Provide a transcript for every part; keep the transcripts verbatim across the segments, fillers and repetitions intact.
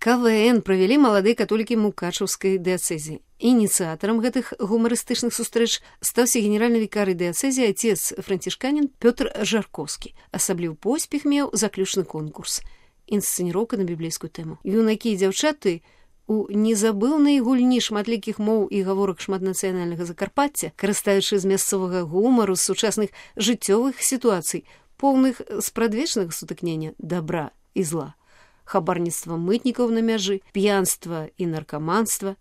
КВН правялі маладыя католікі мукачаўскай дыяцэзіі. Ініцыятарам гэтых гумарыстычных сустрэч стаўся генеральны вікарый дыяцэзіі отец францішканін Пётр Жаркоўскі. Асабліў поспех меў заключны конкурс. Інсцэніроўка на біблейскую тэму. Юнакі і дзяўчаты у незабыўнай гульні шматлікіх моў і гаворак шматнацыянальнага Закарпацця, карыстаючы з мясцовага гумару, з сучасных жыццёвых сітуацый, поўных спрадвечнага сутыкнення дабра і зла, хабарніцтва мытнікаў на мяжы, п'янства і наркаманства,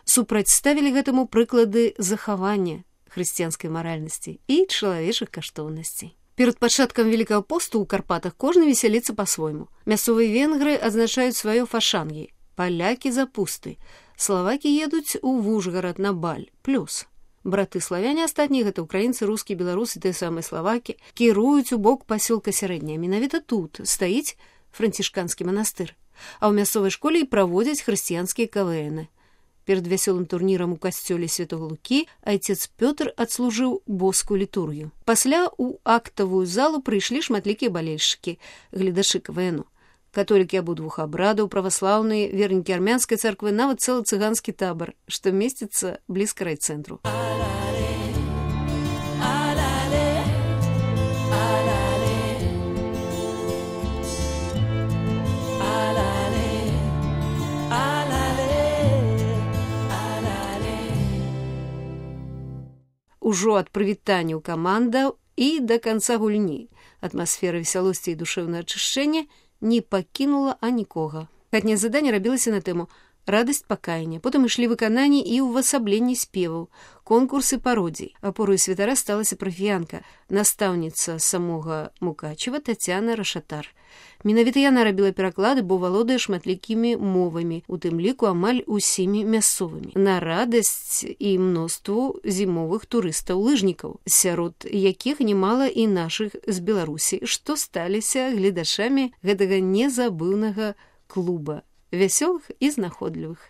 супрацьставілі гэтаму прыклады захавання хрысціянскай маральнасці і чалавечых каштоўнасцей. Перад пачаткам Великага посту ў Карпатах кожны весяліцца па-свойму. Мясцовыя венгры адзначаюць сваё фашангі, палякі запусты, славакі едуць у Вужгарад на баль, плюс. Браты славяне астатнія, гэта украінцы, рускі, беларусы, тыя самыя славакі, кіруюць у бок пасёлка Сярэдняя. Менавіта тут стаіць францішканскі манастыр, а ў мясцовай школе і праводзяць хрысціянскія КВНы. Перад вясёлым турнірам у касцёле Святога Лукі айцец Пётр адслужыў боскую літургію. Пасля ў актавую залу прыйшлі шматлікія балельшчыкі, гледачы КВНу. Католікі абодвух абрадаў, праваслаўныя, вернікі армянскай царквы, нават цэлы цыганскі табар, што месціцца блізка райцэнтру. Ужо ад прывітанняў камандаў і да канца гульні атмасфера весялосці і душэўнага ачышчэння не пакінула анікога. Хатняе заданне рабілася на тэму радасць пакаяння. Потым ішлі выкананні і ўвасабленні спеваў, конкурсы пародзій. Апораю святара сталася парафіянка, настаўніца самога Мукачева Тацяна Рашатар. Менавіта яна рабіла пераклады, бо валодае шматлікімі мовамі, у тым ліку амаль усімі мясцовымі. На радасць і мноству зімовых турыстаў-лыжнікаў, сярод якіх немала і нашых з Беларусі, што сталіся гледачамі гэтага незабыўнага клуба вясёлых і знаходлівых.